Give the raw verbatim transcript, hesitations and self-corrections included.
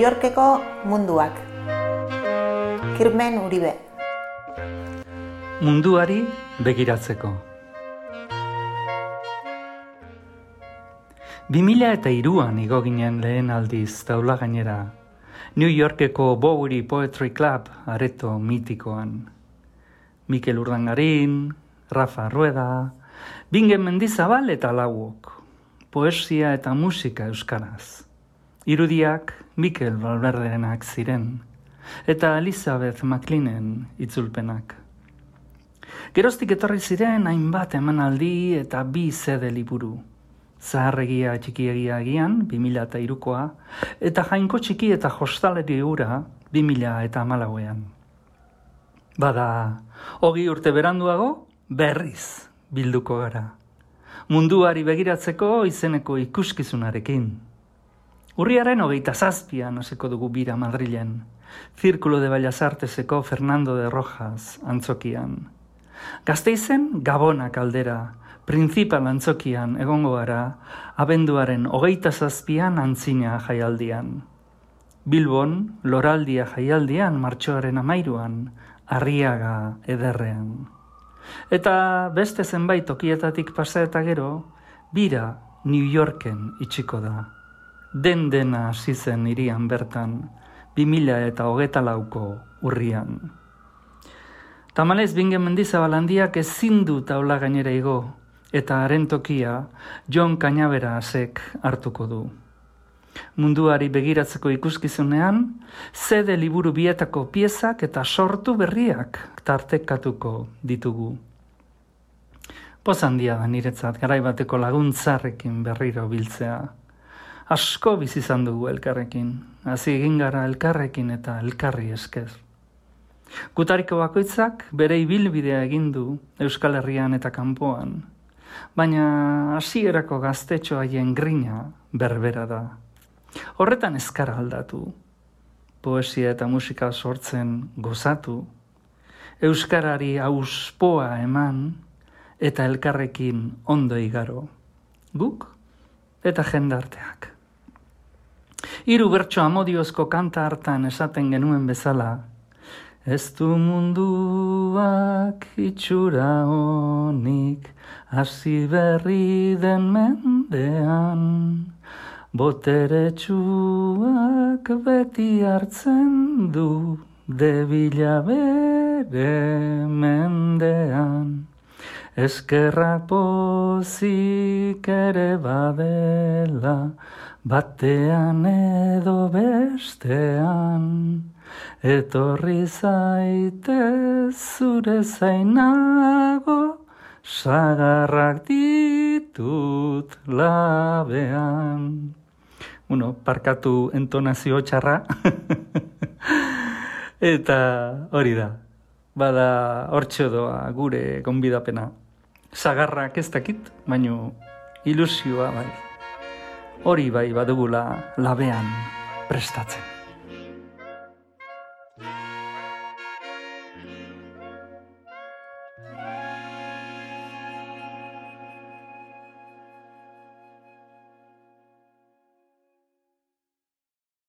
Yorkeko munduak. Kirmen Uribe. Munduari begiratzeko. bi mila eta hiruan igo ginen lehen aldiz taula gainera, New Yorkeko Bowery Poetry Club areto mitikoan. Mikel Urdangarin, Rafa Rueda, Bingen Mendizabal eta Lauok. Poesia eta musika euskaraz. Irudiak Mikel Valverderenak ziren, eta Elizabeth McLeanen itzulpenak. Geroztik etorri ziren hainbat emanaldi eta bi zede liburu. Zaharregia txikiegia egian, bi mila eta hirukoa, eta Jainko txiki eta jostaleri ura, bi mila eta hamalauean. Bada, hogi urte beranduago, berriz bilduko gara. Munduari begiratzeko izeneko ikuskizunarekin. Urriaren hogeita zazpian hasiko dugu bira Madrilen, Zirkulo de Bellas Arteseko Fernando de Rojas antzokian. Gasteizen Gabona kaldera, Principal antzokian egongo gara, abenduaren hogeita zazpian antzina jaialdian. Bilbon, Loraldia jaialdian martxoaren amairuan, Arriaga ederrean. Eta beste zenbait tokietatik pasa eta gero, bira New Yorken itxiko da. Den dena hasi zen hirian bertan, bi mila eta hogeita lauko urrian. Tamalez Bingen Mendizabal handiak ezin du taula gainera igo, eta haren tokia Jon Cañaverasek hartuko du. Munduari begiratzeko ikuskizunean, zede liburu bietako piezak eta sortu berriak tartekatuko ditugu. Poz handia da niretzat garaibateko laguntzarrekin berriro biltzea. Asko bizi izan dugu elkarrekin, hasi egin gara elkarrekin eta elkarri esker. Gutariko bakoitzak bere ibilbidea egin du Euskal Herrian eta kanpoan, baina hasierako gaztetxo haien grina berbera da. Horretan ezkara aldatu, poesia eta musika sortzen gozatu, euskarari auspoa eman eta elkarrekin ondo igaro, guk eta jendarteak. Hiru bertso amodiozko kanta hartan esaten genuen bezala, ez du munduak itxura honik, hasi berri den mendean, boteretsuak beti hartzen du, debila bere mendean. Eskerrak pozik ere badela, batean edo bestean, etorri zaitez zure zainago, sagarrak ditut labean. Bueno, parkatu entonazio txarra. Eta hori da. Bada hortxo doa gure gonbidapena. Sagarrak ez dakit, baino ilusioa bai. Hori bai badugula labean prestatzen.